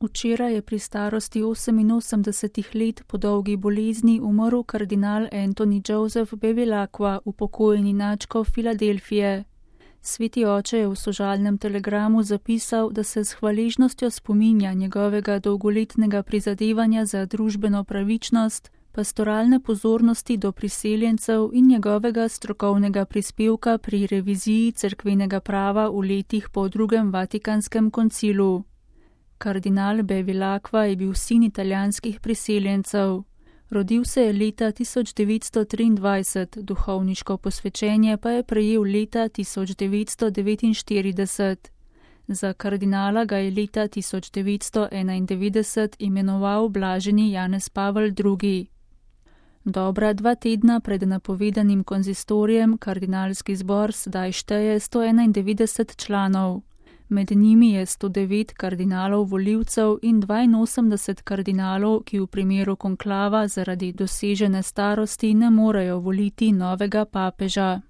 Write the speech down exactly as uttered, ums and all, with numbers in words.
Včeraj je pri starosti oseminosemdeset let po dolgi bolezni umrl kardinal Antoni Joseph Bevilacqua, upokojeni nadškof Filadelfije. Sveti oče je v sožalnem telegramu zapisal, da se s hvaležnostjo spominja njegovega dolgoletnega prizadevanja za družbeno pravičnost, pastoralne pozornosti do priseljencev in njegovega strokovnega prispevka pri reviziji cerkvenega prava v letih po drugem Vatikanskem koncilu. Kardinal Bevilacqua je bil sin italijanskih priseljencev. Rodil se je leta tisoč devetsto triindvajset, duhovniško posvečenje pa je prejel leta tisoč devetsto devetinštirideset. Za kardinala ga je leta tisoč devetsto enaindevetdeset imenoval blaženi Janez Pavel drugi. Dobra dva tedna pred napovedanim konzistorijem kardinalski zbor zdaj šteje sto enaindevetdeset članov. Med njimi je sto devet kardinalov volivcev in dvainosemdeset kardinalov, ki v primeru konklava zaradi dosežene starosti ne morejo voliti novega papeža.